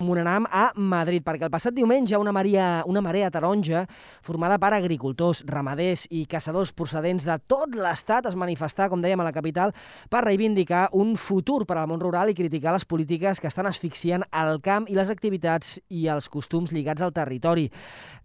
Monenam a Madrid, perquè el passat diumenge una marea taronja formada per agricultors, ramaders i caçadors procedents de tot l'estat es manifestà, com dèiem, a la capital per reivindicar un futur per al món rural i criticar les polítiques que estan asfixiant el camp i les activitats i els costums lligats al territori.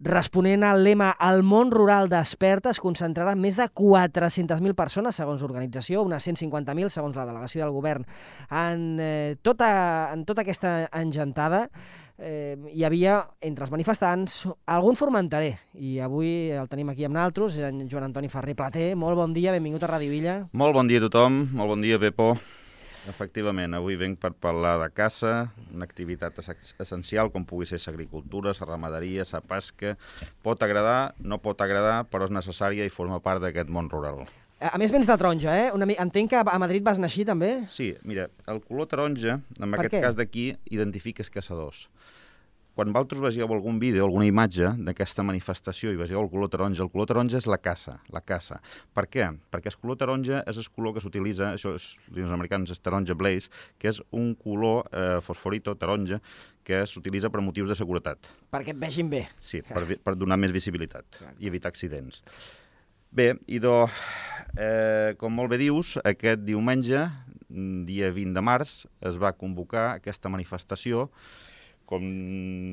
Responent al lema "El món rural desperta", es concentraran més de 400.000 persones, segons l'organització, unes 150.000, segons la delegació del govern. En tota aquesta engentada hi havia, entre els manifestants, algun formenterer. I avui el tenim aquí amb naltros, en Joan Antoni Ferrer Plater. Molt bon dia, benvingut a Ràdio Illa. Molt bon dia a tothom, molt bon dia, Pepo. Efectivament, avui venc per parlar de caça, una activitat essencial com pugui ser l'agricultura, la ramaderia, la pesca. Pot agradar, no pot agradar, però és necessària i forma part d'aquest món rural. A més, vens de taronja, eh? Entenc que a Madrid vas naixer, també? Sí, mira, el color taronja, en aquest cas d'aquí, identifica els caçadors. Quan vosaltres vegeu algun vídeo, alguna imatge d'aquesta manifestació i vegeu el color taronja és la caça. Per què? Perquè el color taronja és el color que s'utilitza, això els americans és taronja blaze, que és un color fosforito, taronja, que s'utilitza per motius de seguretat. Perquè et vegin bé. Sí, per donar més visibilitat i evitar accidents. Bé, idò, com molt bé dius, aquest diumenge, dia 20 de març, es va convocar aquesta manifestació. Com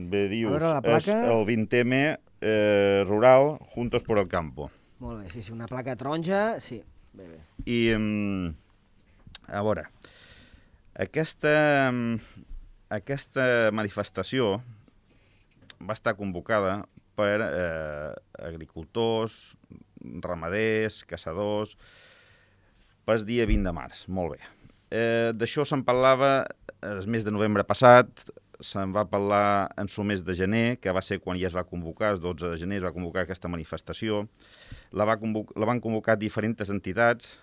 bé dius, és el 20M rural Juntos por el Campo. Molt bé, sí, una placa taronja, sí. Bé. I, a veure, aquesta manifestació va estar convocada per agricultors, ramaders, caçadors, pel dia 20 de març, molt bé. D'això se'n parlava el mes de novembre passat, se'n va parlar en el mes de gener, que va ser quan ja es va convocar, el 12 de gener es va convocar aquesta manifestació. La van convocar diferents entitats,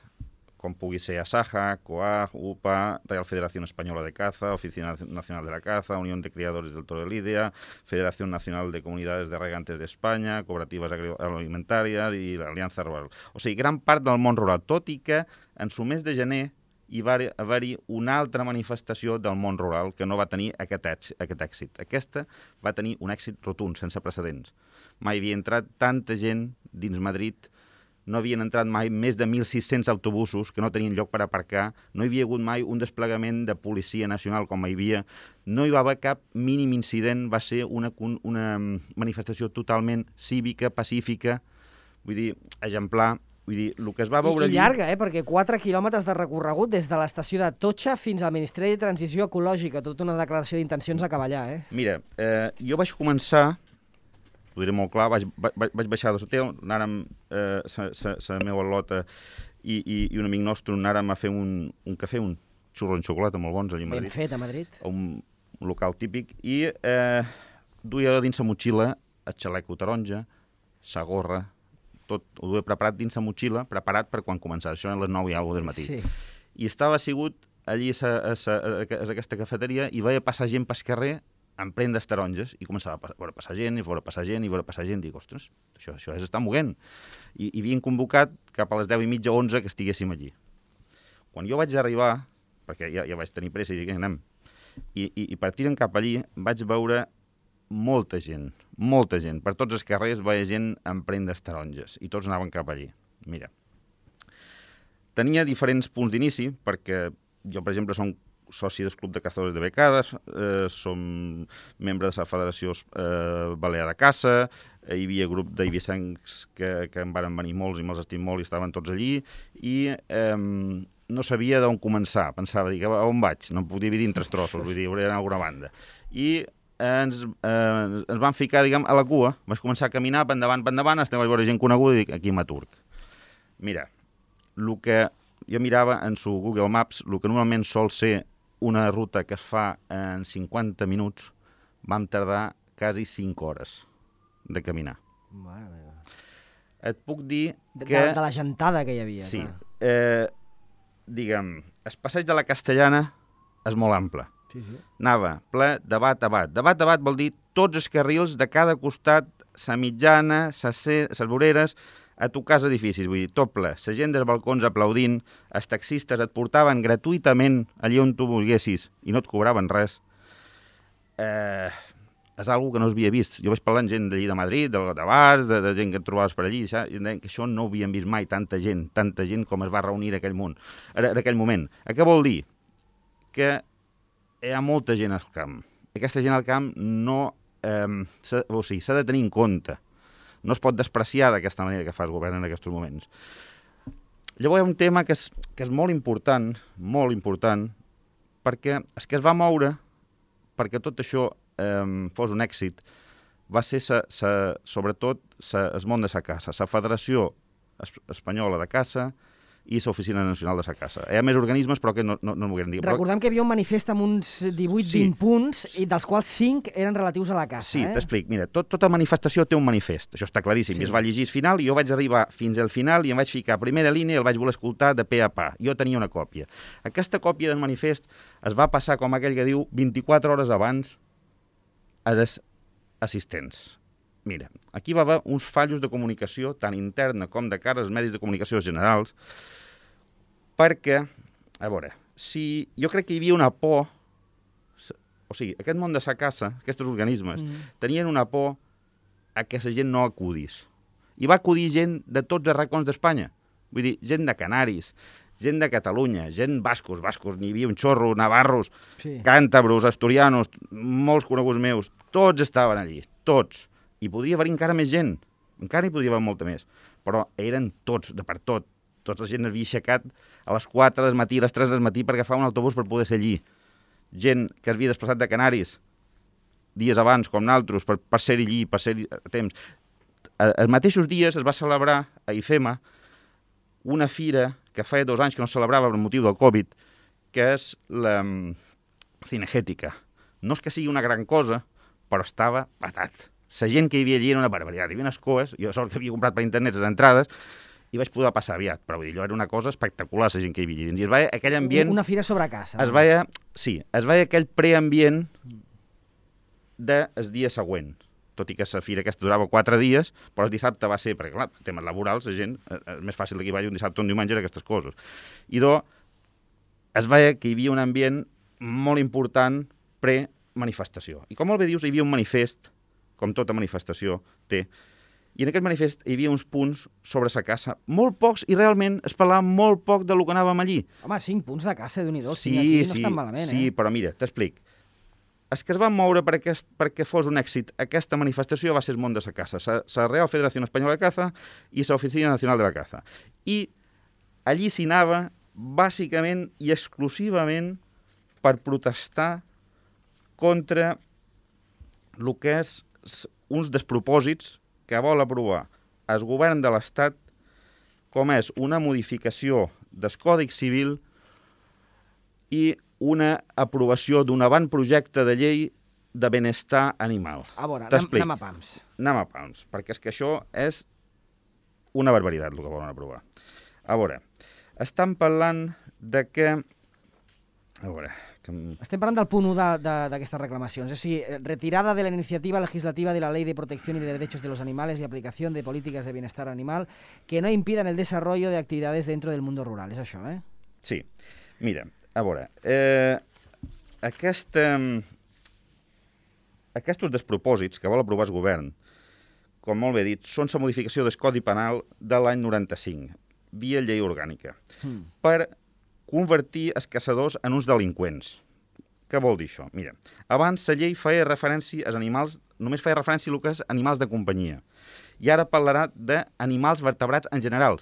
com pugui ser ASAJA, COAG, UPA, Real Federación Española de Caza, Oficina Nacional de la Caza, Unión de Criadores del Toro de Lidia, Federación Nacional de Comunidades de Regantes de Espanya, Cooperatives Alimentàries i l'Aliança Rural. O sigui, gran part del món rural, tot i que en el mes de gener hi va haver-hi una altra manifestació del món rural que no va tenir aquest èxit. Aquesta va tenir un èxit rotund, sense precedents. Mai havia entrat tanta gent dins Madrid, no havien entrat mai més de 1.600 autobusos que no tenien lloc per aparcar, no hi havia hagut mai un desplegament de policia nacional com hi havia, no hi va haver cap mínim incident, va ser una manifestació totalment cívica, pacífica, vull dir, exemplar. Vull dir, el que es va veure I llarga, perquè 4 quilòmetres de recorregut des de l'estació de Totxa fins al Ministeri de Transició Ecològica, tota una declaració d'intencions a acabar allà, eh? Mira, jo vaig començar, ho diré molt clar, vaig baixar de l'hotel, anàrem la meva lota i un amic nostre anàrem a fer un cafè, un xurro en xocolata molt bons allà a Madrid. Ben fet, a Madrid. A un local típic, i duia dins la motxilla el xaleco taronja, la gorra, tot ho duia preparat dins la motxilla, preparat per quan començava. Això eren les 9 i alguna del matí. Sí. I estava assegut allí a aquesta cafeteria i veia passar gent pel carrer amb prendes taronges i començava a veure passar gent, i veure passar gent, i veure passar gent. Dic, ostres, això és estar movent. I havien convocat cap a les 10:30, 11 que estiguéssim allí. Quan jo vaig arribar, perquè ja vaig tenir pressa i dic, anem, i partint cap allí vaig veure molta gent. Per tots els carrers veia gent amb prendes taronges i tots anaven cap allí. Mira, tenia diferents punts d'inici perquè jo, per exemple, som soci del Club de Cazadores de Becades, som membre de la Federació Balear de Caça, hi havia grup d'eivissencs que en van venir molts i me'ls estim molt i estaven tots allí, i no sabia d'on començar. Pensava, dic, on vaig? No em puc dividir en 3 trossos, vull dir, hauria d'anar a alguna banda. I ens van ficar, diguem, a la cua. Vaig començar a caminar, per endavant, vaig veure gent coneguda i dic, aquí m'aturc. Mira, el que jo mirava en su Google Maps, el que normalment sol ser una ruta que es fa en 50 minuts, vam tardar quasi 5 hores de caminar. Mare meva. Et puc dir que... De la gentada que hi havia. Sí. Diguem, el passeig de la Castellana és molt ample. Sí. Anava ple de bat a bat. De bat a bat vol dir tots els carrils de cada costat, la mitjana, les voreres, a tocar els edificis, vull dir, tot ple. La gent dels balcons aplaudint, els taxistes et portaven gratuïtament allí on tu volguessis i no et cobraven res. és algo que no s'havia vist. Jo vaig parlar amb gent d'allí de Madrid, de bars, de gent que et trobaves per allí, i em deien que això no ho havien vist mai, tanta gent com es va reunir en aquell moment. Què vol dir? Que hi ha molta gent al camp. Aquesta gent al camp no... s'ha de tenir en compte. No es pot despreciar d'aquesta manera que fa el govern en aquests moments. Llavors hi ha un tema que és molt important, perquè és que es va moure perquè tot això fos un èxit, va ser sobretot el món de la caça, la Federació Espanyola de Caça i l'Oficina Nacional de la Caça. Hi ha més organismes, però que no m'ho volen dir. Recordem que hi havia un manifest amb uns 18-20 punts, i dels quals 5 eren relatius a la caça. Sí, t'explic. Mira, tota manifestació té un manifest. Això està claríssim. I es va llegir al final, i jo vaig arribar fins al final i em vaig ficar a primera línia i el vaig voler escoltar de pe a pa. Jo tenia una còpia. Aquesta còpia del manifest es va passar, com aquell que diu, 24 hores abans a les assistents. Mira, aquí va haver uns fallos de comunicació, tant interna com de cara als medis de comunicació generals, perquè, a veure, si jo crec que hi havia una por, o sigui, aquest món de la caça, aquests organismes, tenien una por a que la gent no acudís. I va acudir gent de tots els racons d'Espanya. Vull dir, gent de Canaris, gent de Catalunya, gent bascos, n'hi havia un xorro, navarros, càntabros, asturianos, molts coneguts meus, tots estaven allí, tots. I podria haver encara més gent, encara hi podria haver molta més, però eren tots, de per tot. Tota la gent havia aixecat a les 4 del matí, a les 3 del matí per agafar un autobús per poder ser allí. Gent que havia desplaçat de Canaris dies abans, com naltros, per ser allí, per ser a temps. Els mateixos dies es va celebrar a IFEMA una fira que feia 2 anys que no es celebrava per motiu del Covid, que és la cinegètica. No és que sigui una gran cosa, però estava patat. La gent que hi havia allí era una barbaritat. Hi havia unes coes, jo sort que havia comprat per internet les entrades, i vaig poder passar aviat, però vull dir, allò era una cosa espectacular, la gent que hi havia allí. I es veia aquell ambient... Una fira sobre caça. Es veia aquell preambient del dia següent. Tot i que la fira aquesta durava 4 dies, però el dissabte va ser, perquè clar, temes laborals, la gent, és més fàcil que hi vagi un dissabte o un diumenge d'aquestes coses. I es veia que hi havia un ambient molt important pre-manifestació. I com molt bé dius, hi havia un manifest, com tota manifestació té, i en aquest manifest hi havia uns punts sobre la caça, molt pocs, i realment es parlava molt poc del que anàvem allí. Home, 5 punts de caça, Déu-n'hi-do, aquí no estan malament, Sí, però mira, t'explic. El que es va moure perquè fos un èxit aquesta manifestació va ser el món de la caça, la Real Federació Espanyola de Caza i l'Oficina Nacional de la Caza. I allí s'hi anava bàsicament i exclusivament per protestar contra el que és uns despropòsits que vol aprovar el govern de l'Estat, com és una modificació del Codi Civil i una aprovació d'un avantprojecte de llei de benestar animal. A veure, anem a pams. Anem a pams, perquè és que això és una barbaritat, el que volen aprovar. A veure, estan parlant de que... A veure... Estem parlant del punt 1 d'aquestes reclamacions, és a dir, retirada de la iniciativa legislativa de la Ley de Protección y de Derechos de los Animales y aplicación de políticas de bienestar animal que no impidan el desarrollo de actividades dentro del mundo rural. És això, eh? Sí. Mira, a veure, aquests despropòsits que vol aprovar el govern, com molt bé dit, són la modificació del Codi Penal de l'any 95, via llei orgànica, per convertir els caçadors en uns delinqüents. Què vol dir això? Mira, abans la llei feia referència als animals, només feia referència a el que és animals de companyia. I ara parlarà d'animals vertebrats en general.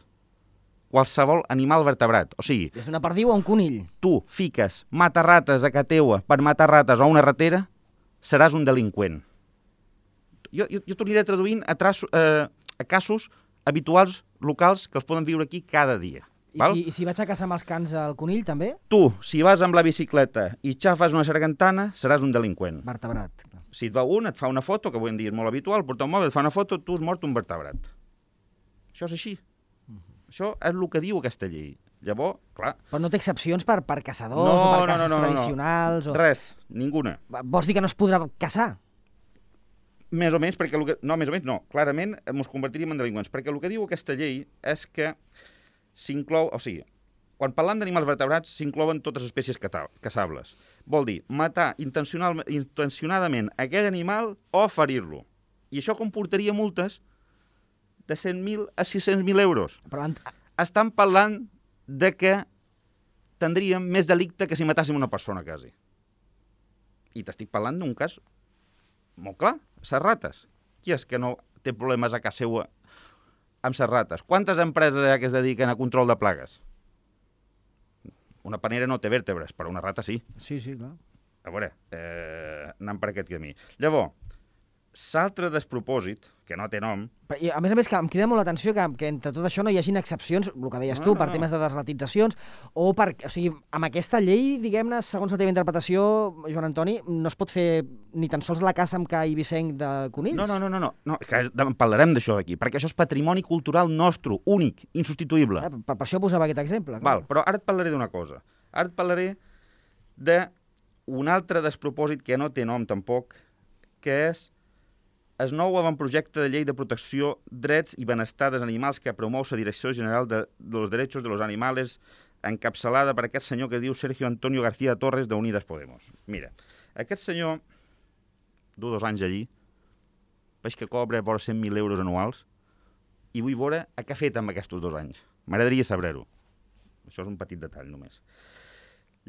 Qualsevol animal vertebrat. O sigui... És una perdiu o un conill. Tu fiques matar-rates a casa teua per matar rates a una ratera, seràs un delinqüent. Jo t'ho aniré traduint a casos habituals, locals, que els poden viure aquí cada dia. I si vaig a caçar amb els cans al conill, també? Tu, si vas amb la bicicleta i xafes una sargantana, seràs un delinqüent. Vertebrat. Si et va un, et fa una foto, que avui en dia és molt habitual, portar un mòbil, et fa una foto, tu has mort un vertebrat. Això és així. Això és el que diu aquesta llei. Llavors, clar... Però no té excepcions per caçadors o per caces tradicionals? Res, ninguna. Vols dir que no es podrà caçar? Més o menys, perquè... No, més o menys no. Clarament ens convertiríem en delinqüents, perquè el que diu aquesta llei és que s'inclou, o sigui, Quan parlant d'animals vertebrats s'inclouen totes les espècies caçables. Vol dir matar intencionadament aquell animal o ferir-lo. I això comportaria multes de 100.000 a 600.000 euros. Però Estan parlant de que tindríem més delicte que si matàssim una persona, quasi. I t'estic parlant d'un cas molt clar, les rates. Qui és que no té problemes a casa seva amb les rates? Quantes empreses hi ha que es dediquen a control de plagues? Una panera no té vèrtebres, però una rata sí. Sí, clar. A veure, anant per aquest camí. Llavors, l'altre despropòsit, que no té nom... I a més, que em crida molt l'atenció que entre tot això no hi hagin excepcions, el que deies tu, per temes de desratitzacions, o sigui, amb aquesta llei, diguem-ne, segons la teva interpretació, Joan Antoni, no es pot fer ni tan sols la caça amb ca i vicenc de conills? No, que en parlarem d'això d'aquí, perquè això és patrimoni cultural nostre, únic, insubstituïble. Per això posava aquest exemple. Val, però ara et parlaré d'una cosa. Ara et parlaré d'un altre despropòsit que no té nom tampoc, que és el nou avantprojecte de llei de protecció, drets i benestar dels animals que promou la Direcció General de los Derechos de los Animales, encapçalada per aquest senyor que es diu Sergio Antonio García Torres de Unidas Podemos. Mira, aquest senyor du 2 anys allí, veig que cobra vora 100.000 euros anuals, i vull veure què ha fet amb aquests 2 anys. M'agradaria saber-ho. Això és un petit detall, només.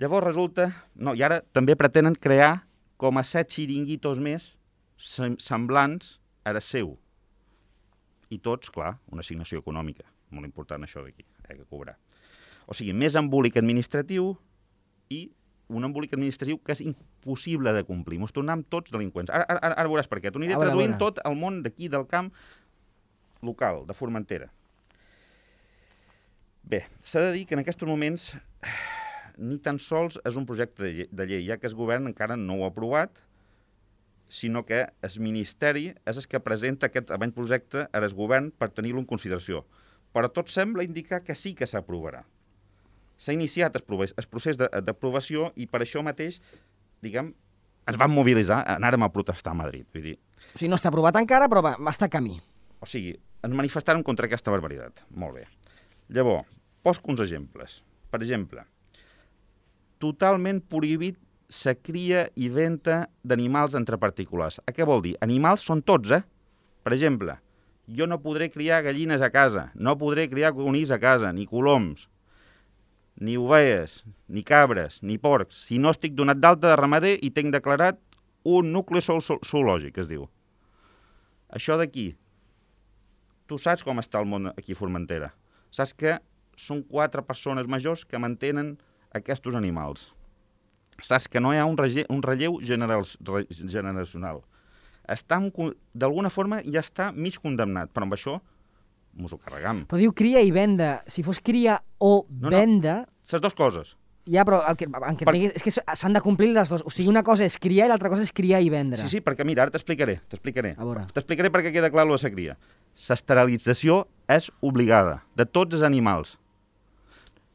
Llavors resulta... No, i ara també pretenen crear com a 7 xiringuitos més semblants a el seu. I tots, clar, una assignació econòmica. Molt important això d'aquí, que cobrar. O sigui, més embolic administratiu i un embolic administratiu que és impossible de complir. Ens tornem tots delinqüents. Ara veuràs per què. T'ho aniré traduint tot el món d'aquí, del camp local, de Formentera. Bé, s'ha de dir que en aquests moments ni tan sols és un projecte de llei, ja que el govern encara no ho ha aprovat, sinó que el Ministeri és el que presenta aquest avantprojecte al govern per tenir-lo en consideració. Però tot sembla indicar que sí que s'aprovarà. S'ha iniciat el procés d'aprovació i per això mateix, diguem, ens vam mobilitzar, anàrem a protestar a Madrid. Vull dir... O sigui, no està aprovat encara, però va estar a camí. O sigui, ens manifestàrem contra aquesta barbaritat. Molt bé. Llavors, poso uns exemples. Per exemple, totalment prohibit la cria i venda d'animals entre particulars. A què vol dir? Animals són tots, Per exemple, jo no podré criar gallines a casa, no podré criar conills a casa, ni coloms, ni ovelles, ni cabres, ni porcs, si no estic donat d'alta de ramader i tinc declarat un nucli zoològic, es diu. Això d'aquí, tu saps com està el món aquí a Formentera. Saps que són 4 persones majors que mantenen aquests animals. Saps que no hi ha un relleu generacional. D'alguna forma ja està mig condemnat, però amb això mos ho carregam. Però diu cria i venda. Si fos cria o venda... Les dues coses. Ja, però és que s'han de complir les dues. O sigui, una cosa és criar i l'altra cosa és criar i vendre. Sí, perquè mira, ara t'explicaré. A veure. T'explicaré perquè queda clar lo de la cria. L'esterilització és obligada, de tots els animals.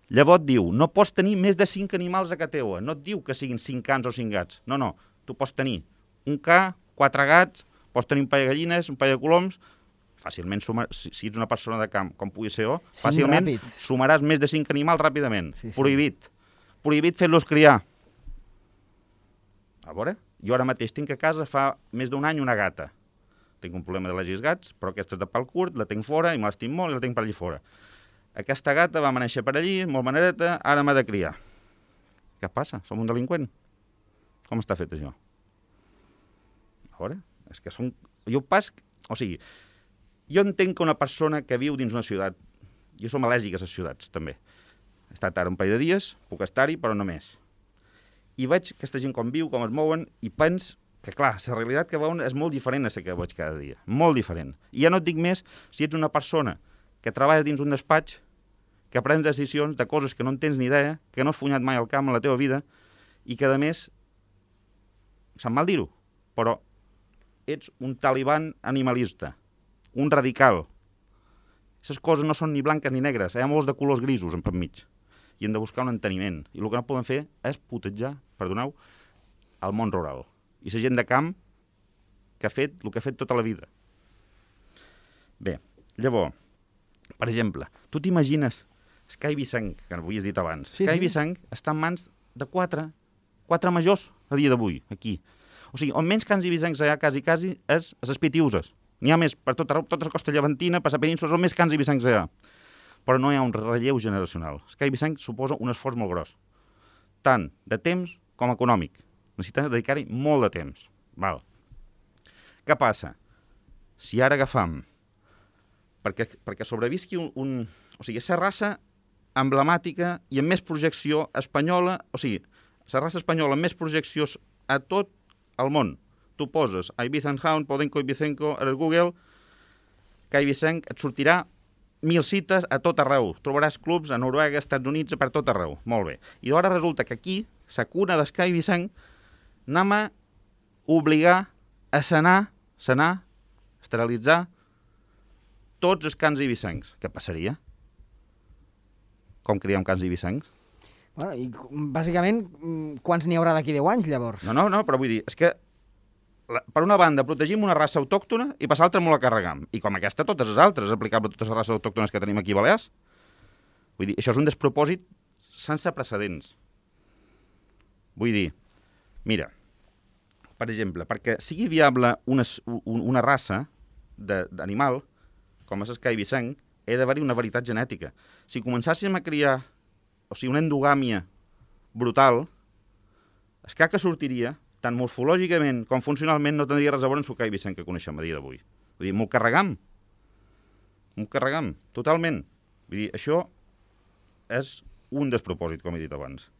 Llavors diu, no pots tenir més de 5 animals a casa teua. No et diu que siguin 5 cans o 5 gats. No. Tu pots tenir un ca, 4 gats, pots tenir un parell de gallines, un parell de coloms. Fàcilment, si ets una persona de camp, com pugui ser jo, fàcilment sumaràs més de 5 animals ràpidament. Sí. Prohibit. Prohibit fer-los criar. A veure, jo ara mateix tinc a casa fa més d'un any una gata. Tinc un problema d'al·lèrgies gats, però aquesta és de pèl curt, la tinc fora i me l'estim molt i la tinc per allà fora. Aquesta gata va néixer per allí, molt manereta, ara m'ha de criar. Què passa? Som un delinqüent? Com està fet això? A veure, és que són... O sigui, jo entenc que una persona que viu dins una ciutat... Jo som al·lèrgic a les ciutats, també. He estat ara un parell de dies, puc estar-hi, però no més. I veig aquesta gent com viu, com es mouen, i pens que, clar, la realitat que veuen és molt diferent a la que veig cada dia. Molt diferent. I ja no et dic més si ets una persona que treballes dins un despatx, que prens decisions de coses que no en tens ni idea, que no has funyat mai al camp en la teva vida, i que, a més, se'm mal dir-ho, però ets un taliban animalista, un radical. Aquestes coses no són ni blanques ni negres, hi ha molts de colors grisos en mig, i hem de buscar un enteniment. I el que no poden fer és putejar, perdoneu, el món rural. I la gent de camp que ha fet el que ha fet tota la vida. Bé, llavors, per exemple, tu t'imagines Sky Vicenç, que ho havies dit abans, Sí, Sky sí. Vicenç està en mans de quatre majors a dia d'avui, aquí. O sigui, on menys cans i vicencs hi ha quasi és a les Pitiuses. N'hi ha més per tota la costa llevantina, per la península, on més cans i vicencs hi ha. Però no hi ha un relleu generacional. Sky Vicenç suposa un esforç molt gros, tant de temps com econòmic. Necessita dedicar-hi molt de temps. Val. Què passa? Si ara agafam perquè sobrevisqui o sigui, és la raça emblemàtica i amb més projecció espanyola, o sigui, la raça espanyola amb més projeccions a tot el món. Tu poses Ibiza Hound, Podenco i Vicenco a Google, que Ibicenc et sortirà 1.000 cites a tot arreu. Trobaràs clubs a Noruega, Estats Units, per tot arreu. Molt bé. I ara resulta que aquí, la cuna d'Sky Vicenc, anem a obligar a sanar, esterilitzar tots els cans ibicencs. Què passaria? Com criem cans ibicencs? Bueno, i bàsicament, quants n'hi haurà d'aquí 10 anys, llavors? No, però vull dir, és que per una banda protegim una raça autòctona i per l'altra molt la carregam. I com aquesta, totes les altres, aplicable a totes les races autòctones que tenim aquí a Balears. Vull dir, això és un despropòsit sense precedents. Vull dir, mira, per exemple, perquè sigui viable una raça d'animal, com és el Sky Vicenç, he d'haver-hi una varietat genètica. Si començàssim a criar, o sigui, una endogàmia brutal, el ca que sortiria, tant morfològicament com funcionalment, no tindria res a veure amb el Sky Vicenç que coneixem a dia d'avui. Vull dir, m'ho carregam, totalment. Vull dir, això és un despropòsit, com he dit abans.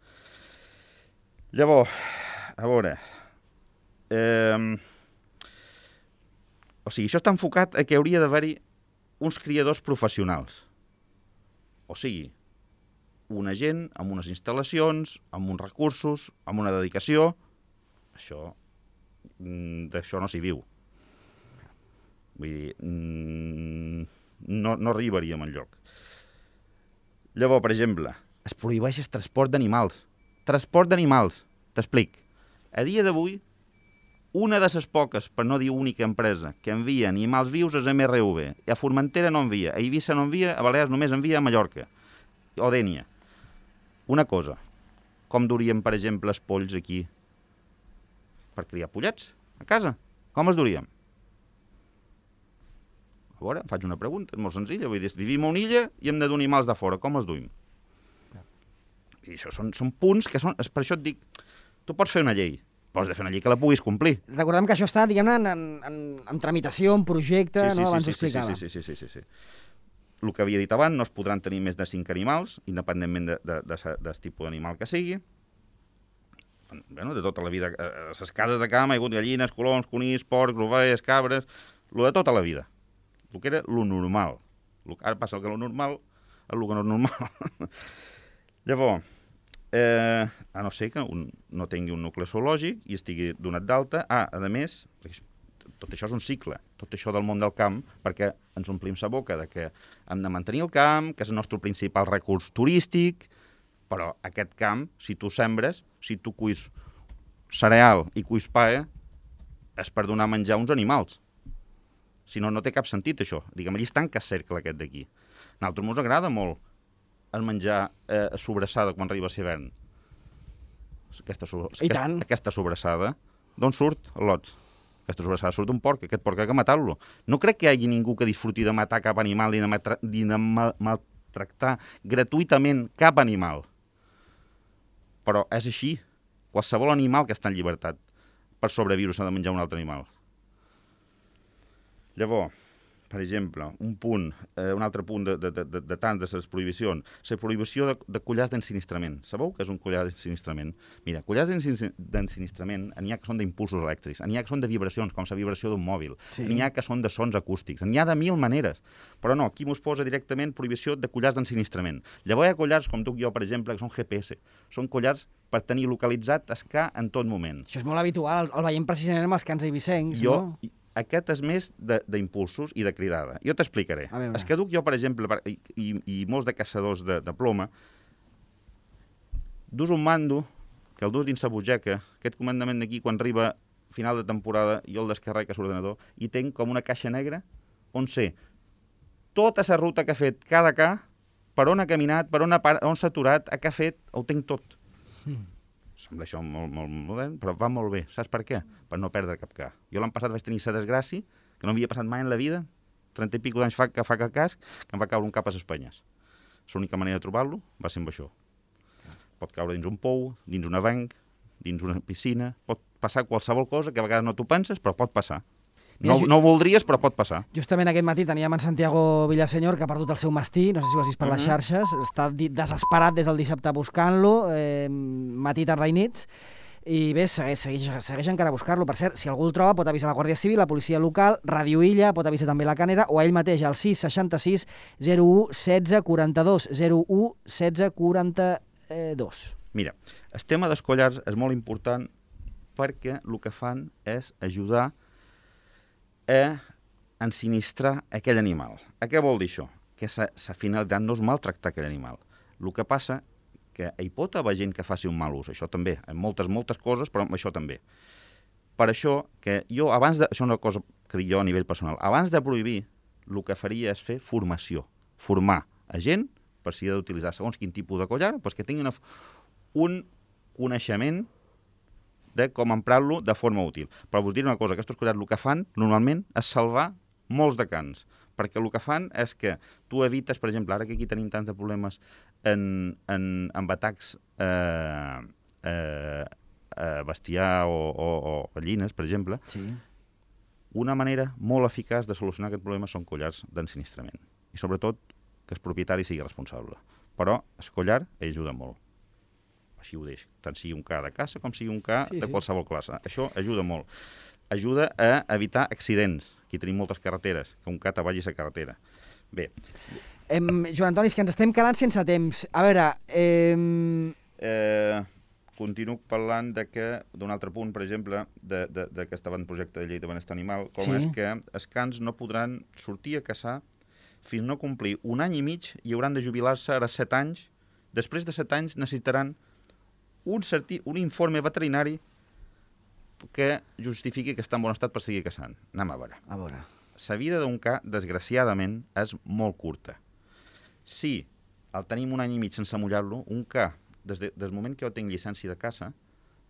Llavors, a veure... o sigui, això està enfocat a que hauria d'haver-hi uns criadors professionals. O sigui, una gent amb unes instal·lacions, amb uns recursos, amb una dedicació. Això, d'això no s'hi viu. Vull dir, no arribaríem enlloc. Llavors, per exemple, es prohibeix el transport d'animals. Transport d'animals, t'explic. A dia d'avui, una de les poques, per no dir única empresa, que envia animals vius és MRV. A Formentera no envia, a Eivissa no envia, a Balears només envia a Mallorca. O Dénia. Una cosa, com duríem, per exemple, els polls aquí per criar pollets a casa? Com els duríem? A veure, faig una pregunta, és molt senzilla. Vull dir, vivim a una illa i hem de dur animals de fora. Com els duim? I això són punts que són... Per això et dic, tu pots fer una llei, però has de fer una llei que la puguis complir. Recordem que això està, diguem-ne, en tramitació, en projecte, no? Abans ho explicava. Sí. El que havia dit abans, no es podran tenir més de 5 animals, independentment del tipus d'animal que sigui. Bueno, de tota la vida. A les cases de camp hi ha hagut gallines, coloms, conills, porcs, ovelles, cabres... Lo de tota la vida. El que era lo normal. Ara passa que lo normal és el que no és normal. Llavors, a no ser que no tingui un nucli zoològic i estigui donat d'alta. A més, tot això és un cicle, tot això del món del camp, perquè ens omplim la boca de que hem de mantenir el camp, que és el nostre principal recurs turístic, però aquest camp, si tu sembres, si tu cuis cereal i cuis pa, és per donar menjar a uns animals. Si no, no té cap sentit, això. Diguem, allí es tanca el cercle aquest d'aquí. A nosaltres ens agrada molt el menjar sobrassada quan arriba l'hivern. Aquesta sobrassada, d'on surt el lots? Aquesta sobrassada surt d'un porc, aquest porc ha de matar-lo. No crec que hi hagi ningú que disfruti de matar cap animal ni de maltractar gratuïtament cap animal. Però és així. Qualsevol animal que està en llibertat per sobreviure s'ha de menjar un altre animal. Llavors, per exemple, un altre punt de tants de les prohibicions, la prohibició de collars d'ensinistrament. Sabeu què és un collar d'ensinistrament? Mira, collars d'ensinistrament n'hi ha que són d'impulsos elèctrics, n'hi ha que són de vibracions, com la vibració d'un mòbil, n'hi ha que són de sons acústics, n'hi ha de 1000 maneres. Però no, aquí mos posa directament prohibició de collars d'ensinistrament. Llavors hi ha collars, com tu i jo, per exemple, que són GPS. Són collars per tenir localitzat el ca en tot moment. Això és molt habitual, el veiem precisament amb els cans eivissencs, no? Aquest és més d'impulsos i de cridada. Jo t'explicaré. És que duc jo, per exemple, i molts de caçadors de ploma, dus un mando, que el dus dins la butxaca, aquest comandament d'aquí, quan arriba final de temporada, jo el descarrec a l'ordenador, i tinc com una caixa negra on sé tota la ruta que ha fet cada ca per on ha caminat, per on s'ha aturat, què ha fet, ho tenc tot. Sembla això molt modern, però va molt bé. Saps per què? Per no perdre cap cas. Jo l'any passat vaig tenir la desgràcia, que no havia passat mai en la vida, 30 i pico d'anys fa que cas, que em va caure un cap a les Espanyes. L'única manera de trobar-lo va ser amb això. Pot caure dins un pou, dins un avenc, dins una piscina, pot passar qualsevol cosa que a vegades no t'ho penses, però pot passar. No ho voldries, però pot passar. Justament aquest matí teníem en Santiago Villaseñor, que ha perdut el seu mastí, no sé si ho has vist per les xarxes, està desesperat des del dissabte buscant-lo, matí, tarda i nits, i bé, segueix encara a buscar-lo. Per cert, si algú el troba pot avisar la Guàrdia Civil, la policia local, Ràdio Illa, pot avisar també la Canera, o a ell mateix al 666 01 16 42, 01 16 42. Mira, el tema dels collars és molt important perquè el que fan és ajudar a ensinistrar aquell animal. Què vol dir això? Que la finalitat no és maltractar aquell animal. El que passa que hi pot haver gent que faci un mal ús, això també, en moltes coses, però això també. Per això, que jo abans de... Això és una cosa que dic jo a nivell personal. Abans de prohibir, el que faria és fer formació. Formar a gent per si ha d'utilitzar segons quin tipus de collar, doncs que tinguin un coneixement de com emprar-lo de forma útil. Però vos diré una cosa, aquests collars el que fan normalment és salvar molts de cans, perquè el que fan és que tu evites, per exemple, ara que aquí tenim tants de problemes amb atacs bestiar o gallines, per exemple, sí. Una manera molt eficaç de solucionar aquest problema són collars d'ensinistrament. I sobretot que el propietari sigui responsable. Però el collar ajuda molt. Així ho deix. Tant sigui un ca de caça com sigui un ca de qualsevol classe. Això ajuda molt. Ajuda a evitar accidents. Aquí tenim moltes carreteres, que un ca te vagi a la carretera. Bé. Joan Antoni, és que ens estem quedant sense temps. A veure... Continuo parlant d'un altre punt, per exemple, d'aquest avantprojecte de llei de benestar animal, com és que els cans no podran sortir a caçar fins no complir 1 any i mig i hauran de jubilar-se ara 7 anys. Després de 7 anys necessitaran un informe veterinari que justifiqui que està en bon estat per seguir caçant. Anem a veure. La vida d'un ca, desgraciadament, és molt curta. Si el tenim 1 any i mig sense mullar-lo, un ca, des del moment que jo tinc llicència de caça,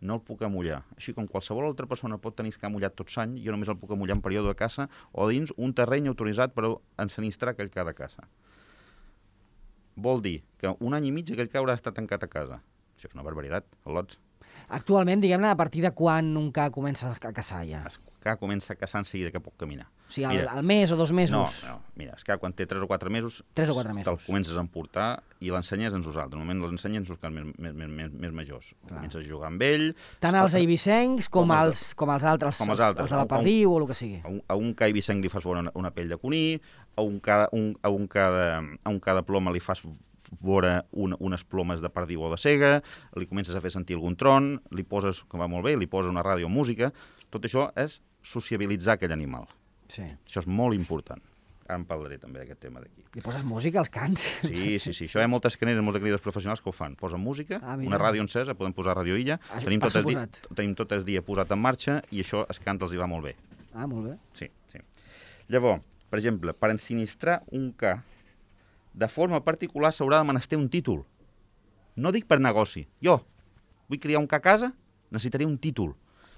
no el puc amullar. Així com qualsevol altra persona pot tenir que mullat tot l'any, jo només el puc amullar en període de caça o dins un terreny autoritzat per ensinistrar aquell ca de caça. Vol dir que 1 any i mig aquell ca haurà estat tancat a casa. Això és una barbaritat, al·lots. Actualment, diguem-ne, a partir de quan un ca comença a caçar ja? El ca comença a caçar en seguida que pot caminar. O sigui, al mes o 2 mesos? No, mira, el ca quan té 3 o 4 mesos, 3 o 4 mesos. te'l comences a emportar i l'ensenyes a nosaltres. Normalment l'ensenyes als cans més majors. Comences a jugar amb ell... Tant els eivissencs com els altres, els de la perdiu o el que sigui. A un ca eivissenc li fas veure una pell de coní, a un ca de ploma li fas veure unes plomes de perdiu o de cega, li comences a fer sentir algun tron, li poses, que va molt bé, li poses una ràdio o música. Tot això és sociabilitzar aquell animal. Sí. Això és molt important. Ara en parlaré també d'aquest tema d'aquí. Li poses música als cans? Sí. Això hi ha moltes caneres, molts criadors professionals que ho fan. Posen música, una ràdio encesa, podem posar Ràdio Illa, tenim tot el dia posat en marxa i això als cans els hi va molt bé. Ah, molt bé. Sí. Llavors, per exemple, per ensinistrar un ca, de forma particular s'haurà de menester un títol. No dic per negoci. Jo vull criar un ca a casa, necessitaré un títol.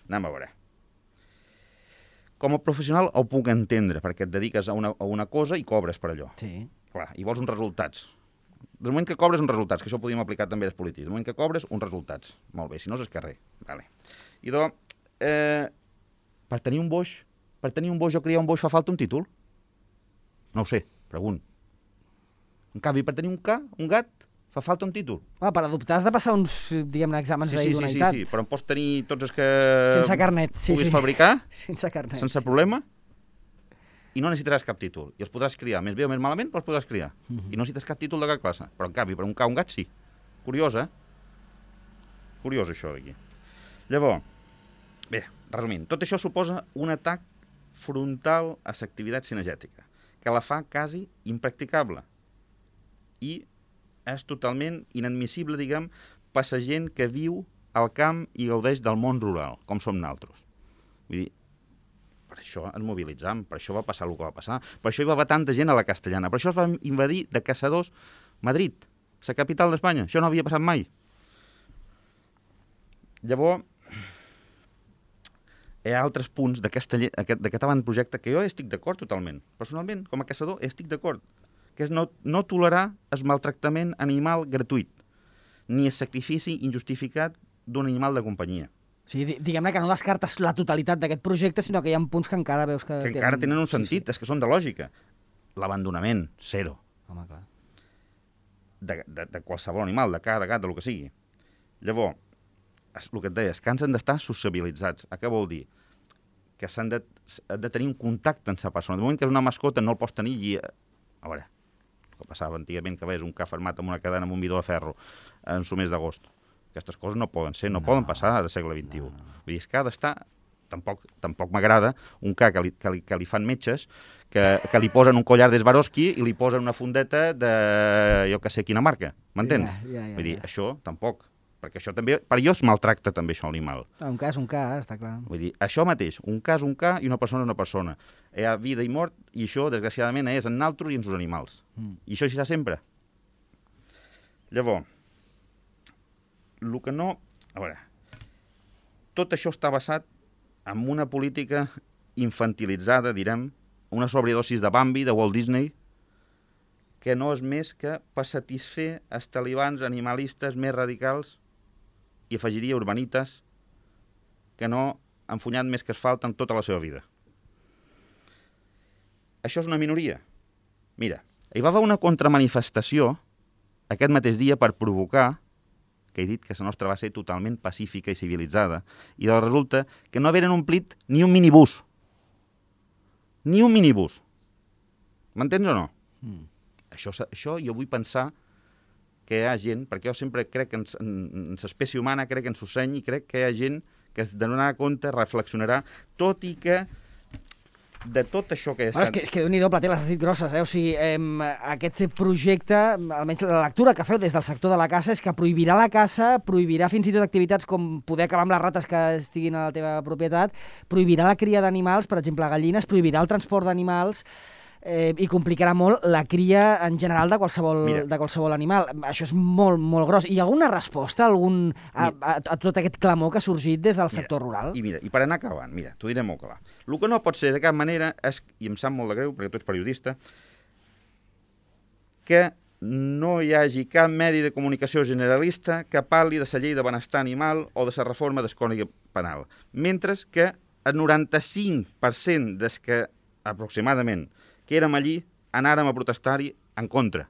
Anem a veure. Com a professional ho puc entendre, perquè et dediques a una cosa i cobres per allò. Sí. Clar, i vols uns resultats. Del moment que cobres uns resultats, que això ho podríem aplicar també als polítics, del moment que cobres uns resultats. Molt bé, si no és carrer. Vale. I doncs, per tenir un boix o criar un boix fa falta un títol? No ho sé, pregunto. En canvi, per tenir un gat, fa falta un títol. Per adoptar has de passar uns, diguem-ne, exàmens d'idoneïtat. Sí, però en pots tenir tots els que sense carnet, puguis fabricar, sense carnet, sense problema, i no necessitaràs cap títol. I els podràs criar, més bé o més malament, però els podràs criar. I no necessites cap títol de cap classe. Però en canvi, per un gat sí. Curiós, Curiós, això d'aquí. Llavors, bé, resumint, tot això suposa un atac frontal a l'activitat cinegètica, que la fa quasi impracticable. I és totalment inadmissible, diguem, per la gent que viu al camp i gaudeix del món rural, com som nosaltres. Vull dir, per això ens mobilitzam, per això va passar el que va passar, per això hi va haver tanta gent a la Castellana, per això es va invadir de caçadors Madrid, la capital d'Espanya. Això no havia passat mai. Llavors, hi ha altres punts d'aquest avantprojecte que jo estic d'acord totalment. Personalment, com a caçador, estic d'acord. Que és no tolerar el maltractament animal gratuït, ni el sacrifici injustificat d'un animal de companyia. O sigui, diguem-ne que no descartes la totalitat d'aquest projecte, sinó que hi ha punts que encara veus que... Que encara tenen un sentit, és que són de lògica. L'abandonament, zero. Home, clar. De qualsevol animal, de cada gat, del que sigui. Llavors, el que et deies, que han d'estar sociabilitzats. Què vol dir? Que s'han de tenir un contacte amb la persona. De moment que és una mascota no el pots tenir i... A veure, el que passava antigament, que veies un ca fermat amb una cadena amb un bidó de ferro en el mes d'agost. Aquestes coses no poden ser, no poden passar al segle XXI. Vull dir, és que ha d'estar... Tampoc m'agrada un ca que li fan metges, que li posen un collar de Swarovski i li posen una fundeta de jo que sé quina marca. M'entens? Vull dir, això tampoc. Perquè això també... Per jo es maltracta també això l'animal. Un ca és un ca, està clar. Vull dir, això mateix, un ca és un ca i una persona és una persona. Hi ha vida i mort i això, desgraciadament, és en nosaltres i en els animals. I això serà sempre. Llavors, el que no... A veure, tot això està basat en una política infantilitzada, direm, una sobredosis de Bambi, de Walt Disney, que no és més que per satisfer els talibans animalistes més radicals i afegiria urbanites que no han funyat més que asfalt en tota la seva vida. Això és una minoria. Mira, hi va haver una contramanifestació aquest mateix dia per provocar, que he dit que la nostra va ser totalment pacífica i civilitzada, i resulta que no havien omplit ni un minibús. Ni un minibús. M'entens o no? Això jo vull pensar que hi ha gent, perquè jo sempre crec que en l'espècie humana, crec en Susseny, i crec que hi ha gent que es donarà compte, reflexionarà, tot i que de tot això que... Bueno, és que Déu-n'hi-do, Plater, les has dit grosses, O sigui, aquest projecte, almenys la lectura que feu des del sector de la caça, és que prohibirà la caça, prohibirà fins i tot activitats com poder acabar amb les rates que estiguin a la teva propietat, prohibirà la cria d'animals, per exemple, gallines, prohibirà el transport d'animals, i complicarà molt la cria en general de qualsevol animal. Això és molt, molt gros. Hi ha alguna resposta a tot aquest clamor que ha sorgit des del sector rural? I per anar acabant, t'ho diré molt clar. El que no pot ser de cap manera és, i em sap molt de greu, perquè tu ets periodista, que no hi hagi cap medi de comunicació generalista que parli de la llei de benestar animal o de la reforma del Codi Penal. Mentre que el 95% des que, aproximadament, que érem allí, anàrem a protestar-hi en contra.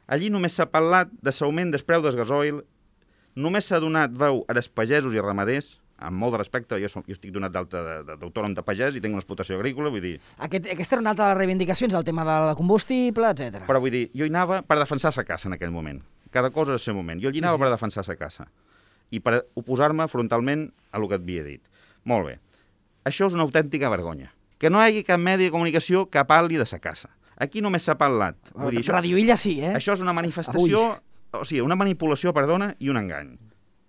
Allí només s'ha parlat de l'augment del preu del gasoil, només s'ha donat veu als pagesos i ramaders, amb molt de respecte, jo estic donat d'alta d'autònom de pagès i tinc una explotació agrícola, vull dir... Aquesta era una altra de les reivindicacions, el tema del combustible, etc. Però vull dir, jo hi anava per defensar la caça en aquell moment. Cada cosa en el seu moment. Jo hi anava per defensar la caça. I per oposar-me frontalment a el que et havia dit. Molt bé. Això és una autèntica vergonya. Que no hi hagi cap medi de comunicació que parli de la caça. Aquí només s'ha parlat. Vull dir, Radio Illa sí, Això és una manifestació, o sigui, una manipulació, perdona, i un engany.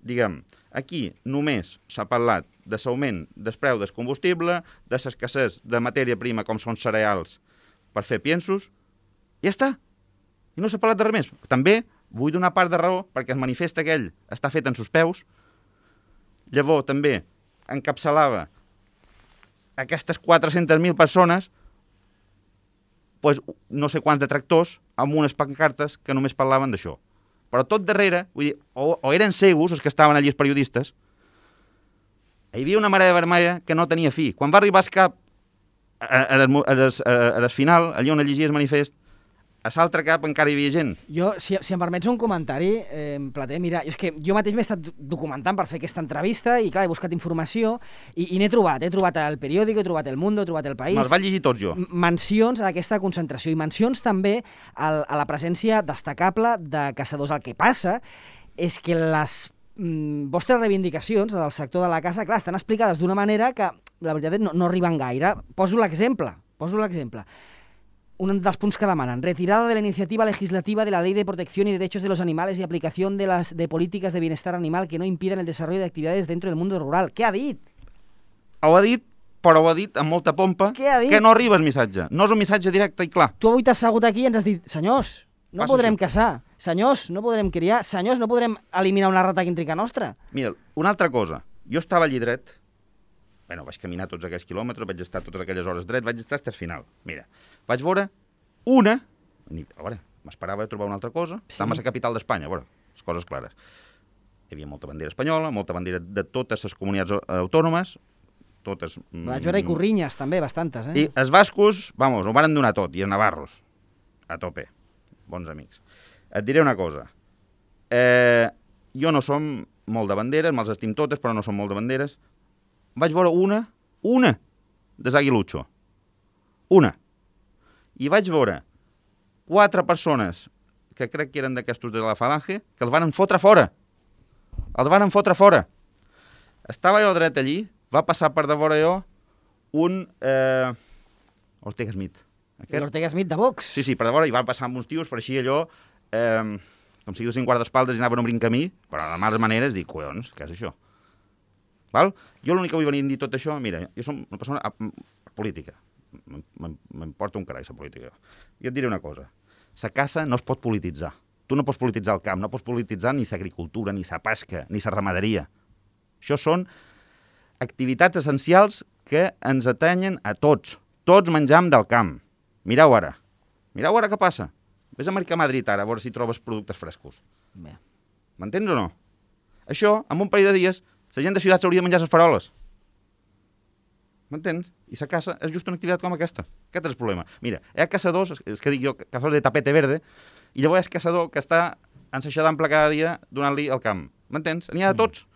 Diguem, aquí només s'ha parlat de l'augment del preu del combustible, de l'escassez de matèria prima com són cereals per fer piensos, i ja està. I no s'ha parlat de res més. També vull donar part de raó perquè el manifest aquell està fet en sus peus. Llavors també encapçalava aquestes 400.000 persones, pues, no sé quants detractors, amb unes pancartes que només parlaven d'això. Però tot darrere, vull dir, o eren cegos, els que estaven allí els periodistes, hi havia una marea vermella que no tenia fi. Quan va arribar el cap a la final, allà on llegia el manifest, a l'altre cap encara hi havia gent. Jo, si em permets un comentari, Plater, mira, és que jo mateix m'he estat documentant per fer aquesta entrevista i, clar, he buscat informació i n'he trobat. He trobat El Periódico, he trobat El Mundo, he trobat El País. Me'ls vaig llegir tots jo. Mencions a aquesta concentració i mencions també a la presència destacable de caçadors. El que passa és que les vostres reivindicacions del sector de la caça, clar, estan explicades d'una manera que, la veritat, no arriben gaire. Poso l'exemple. Un dels punts que demanen, retirada de la iniciativa legislativa de la Ley de Protección y Derechos de los Animales y aplicación de políticas de bienestar animal que no impidan el desarrollo de actividades dentro del mundo rural. Què ha dit? Ho ha dit, però ho ha dit amb molta pompa, que no arriba el missatge. No és un missatge directe i clar. Tu avui t'has assegut aquí i ens has dit, senyors, No podrem caçar. Senyors, no podrem criar. Senyors, no podrem eliminar una rata quíntrica nostra. Mira, una altra cosa. Jo estava allí dret, vaig caminar tots aquells quilòmetres, vaig estar totes aquelles hores dret, vaig estar fins al final. Mira, vaig veure una... A veure, m'esperava trobar una altra cosa. Sí. Estàvem a la capital d'Espanya, a veure, les coses clares. Hi havia molta bandera espanyola, molta bandera de totes les comunitats autònomes, totes... Vaig veure ikurrinyes, també, bastantes, I els bascos, ho van donar tot, i els navarros, a tope, bons amics. Et diré una cosa, jo no som molt de banderes, me'ls estim totes, però no som molt de banderes. Vaig veure una de Aguilucho, una. I vaig veure 4 persones, que crec que eren d'aquestos de la Falange, que els van fotre fora. Els van fotre fora. Estava jo dret allí, va passar per davora jo un Ortega Smith. L'Ortega Smith de Vox. Sí, per davora, i van passar amb uns tios, per així allò, com si duessin guardaespaldes i anaven obrint camí, però de males maneres dic, collons, què és això? Val? Jo l'únic que vull venir a dir tot això, mira, jo som una persona política, m'importa un carai la política. Jo et diré una cosa, la caça no es pot polititzar. Tu no pots polititzar el camp, no pots polititzar ni l'agricultura, ni la pesca, ni la ramaderia. Això són activitats essencials que ens atenyen a tots. Tots menjam del camp. Mireu ara què passa. Ves a Mercà Madrid ara, a veure si trobes productes frescos. Bé. M'entens o no? Això, en un parell de dies, la gent de ciutat s'hauria de menjar les faroles. M'entens? I la caça és just una activitat com aquesta. Aquest és el problema. Mira, hi ha caçadors, és que dic jo, caçadors de tapete verde, i llavors és caçador que està ensaixadant cada dia donant-li al camp. M'entens? N'hi ha de tots.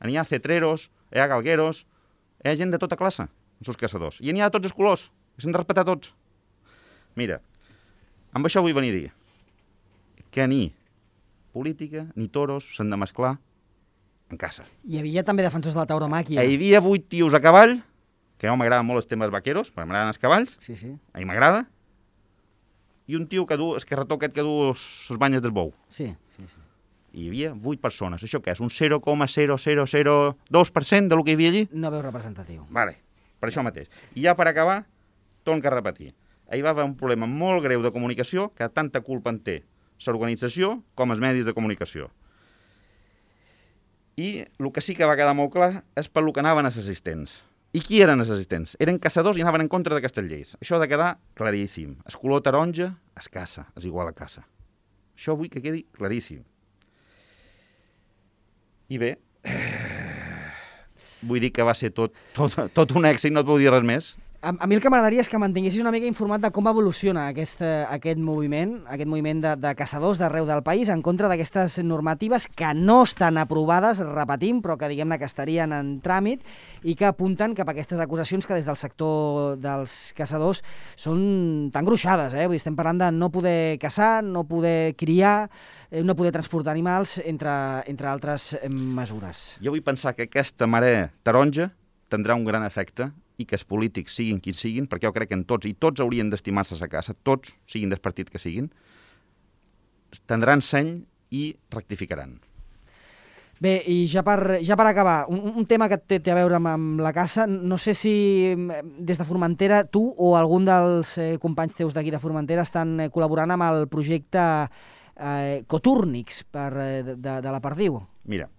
N'hi ha cetreros, hi ha galgueros, hi ha gent de tota classe, els seus caçadors. I n'hi ha de tots els colors, i s'han de respetar tots. Mira, amb això vull venir a dir que ni política ni toros s'han de mesclar en caça. Hi havia també defensors de la tauromàquia. Hi havia 8 tios a cavall, que a mi m'agraden molt els temes vaqueros, perquè m'agraden els cavalls, sí. a mi m'agrada, i un tio que du, esquerrató aquest que du les banyes del bou. Sí. Hi havia 8 persones. Això què és? Un 0,0002% del que hi havia allí? No veus representatiu. Vale, per això mateix. I ja per acabar, torno a repetir. Ahir va haver un problema molt greu de comunicació, que tanta culpa en té l'organització com els medis de comunicació. I el que sí que va quedar molt clar és per lo que anaven els assistents. I qui eren els assistents? Eren caçadors i anaven en contra d'aquestes lleis. Això ha de quedar claríssim. El color taronja es caça, és igual a caça. Això vull que quedi claríssim. I bé, vull dir que va ser tot un èxit, no et puc dir res més. A mi el que m'agradaria és que mantinguessis una mica informat de com evoluciona aquest moviment de caçadors d'arreu del país en contra d'aquestes normatives que no estan aprovades, repetim, però que diguem-ne que estarien en tràmit i que apunten cap a aquestes acusacions que des del sector dels caçadors són tan gruixades. Vull dir, estem parlant de no poder caçar, no poder criar, no poder transportar animals, entre altres mesures. Jo vull pensar que aquesta marea taronja tindrà un gran efecte i que els polítics siguin qui siguin, perquè jo crec que tots haurien d'estimar-se a casa, tots, siguin del partit que siguin, tindran seny i rectificaran. Bé, i ja per acabar, un tema que té a veure amb la caça, no sé si des de Formentera tu o algun dels companys teus d'aquí de Formentera estan col·laborant amb el projecte Cotúrnics de la Perdiu. Mira,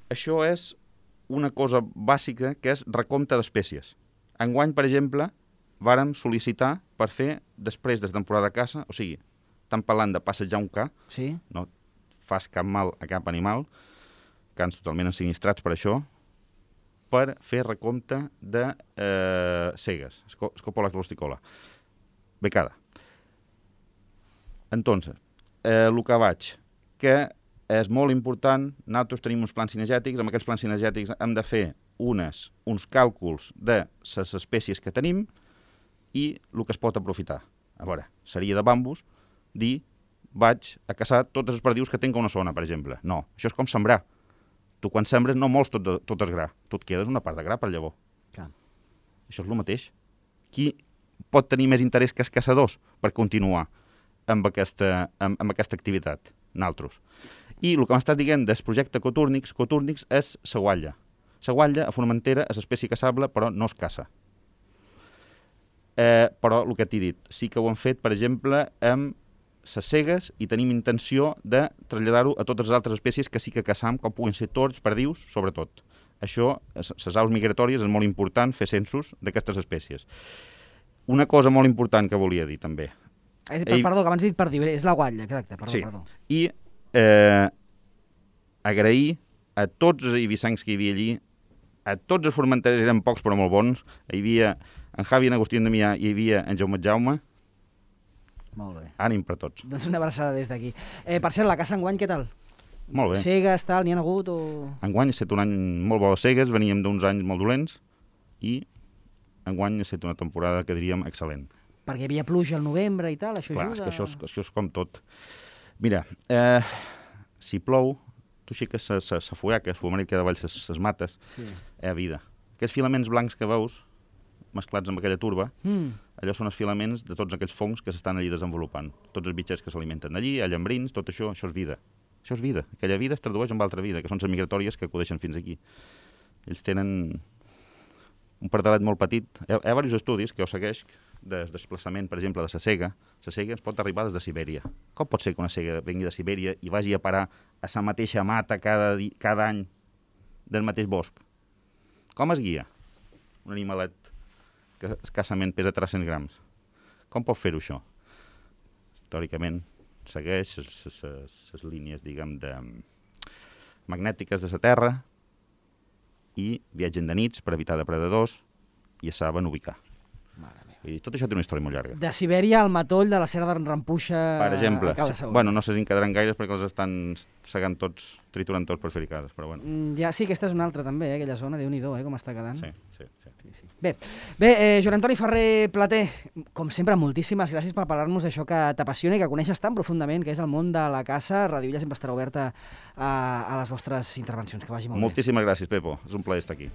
això és una cosa bàsica que és recompte d'espècies. Enguany, per exemple, vàrem sol·licitar per fer, després de la temporada de caça, o sigui, estan parlant de passejar un ca, sí. No fas cap mal a cap animal, cans totalment ensinistrats per això, per fer recompte de cegues, Scopola rusticola, becada. Entonces, el que vaig, que és molt important, nosaltres tenim uns plans cinegètics, amb aquests plans cinegètics hem de fer uns càlculs de les espècies que tenim i el que es pot aprofitar. A veure, seria de bambus dir, vaig a caçar totes les perdius que tinc a una zona, per exemple. No, això és com sembrar. Tu quan sembres no mols tot el gra, tu et quedes una part de gra per llavor. Clar. Això és el mateix. Qui pot tenir més interès que els caçadors per continuar amb aquesta activitat? Naltros. I el que m'estàs dient del projecte Cotúrnics és la guatlla. La guatlla a Formentera és espècie caçable, però no es caça. Però el que t'he dit, sí que ho han fet, per exemple, amb les cegues i tenim intenció de traslladar-ho a totes les altres espècies que sí que caçam, com puguen ser tords, perdius, sobretot. Això, les aus migratòries, és molt important fer censos d'aquestes espècies. Una cosa molt important que volia dir, també. Perdó, que abans he dit perdiu, és la guatlla, exacte, perdó, sí. Perdó. I agrair a tots els eivissancs que hi havia allí, a tots els formenterers, eren pocs però molt bons, hi havia en Javi i en Agustí Damià, hi havia en Jaume, molt bé. Ànim per tots. Doncs una abraçada des d'aquí. Per cert, la caça enguany, què tal? Molt bé. Cegues, tal, n'hi ha hagut o...? Enguany ha estat un any molt bo de cegues, veníem d'uns anys molt dolents i enguany ha estat una temporada que diríem excel·lent. Perquè hi havia pluja al novembre i tal, això ajuda? Clar, és que això és com tot. Mira, si plou, tu aixeques la fullaca, el fumaner que davall les mates, a vida. Aquests filaments blancs que veus, mesclats amb aquella turba, allò són els filaments de tots aquells fongs que s'estan allí desenvolupant. Tots els bitxets que s'alimenten allí, allambrins, tot això és vida. Això és vida. Aquella vida es tradueix en altra vida, que són les migratòries que acudeixen fins aquí. Ells tenen un pardalet molt petit. Hi ha diversos estudis que ho segueix del desplaçament, per exemple, de la cega. La cega es pot arribar des de Sibèria. Com pot ser que una cega vengui de Sibèria i vagi a parar a la mateixa mata cada any del mateix bosc? Com es guia un animalet que escassament pesa 300 grams? Com pot fer-ho això? Històricament segueix les línies, diguem, magnètiques de la Terra i viatgen de nits per evitar depredadors i es saben ubicar. Vull dir, tot això té una història molt llarga. De Sibèria al matoll de la Serra d'en Rampuixa per exemple, a Cala Saó. Bueno, no se n'encadraran gaires perquè els estan segant tots, triturant tots per fer-hi cases, però bueno. Ja, sí, aquesta és una altra també, aquella zona, Déu-n'hi-do, com està quedant. Sí. Bé, Joan Antoni Ferrer Plater, com sempre, moltíssimes gràcies per parlar-nos d'això que t'apassiona i que coneixes tan profundament, que és el món de la caça. Radio Illa sempre estarà oberta a les vostres intervencions. Que vagi molt bé. Moltíssimes gràcies, Pepo. És un plaer estar aquí.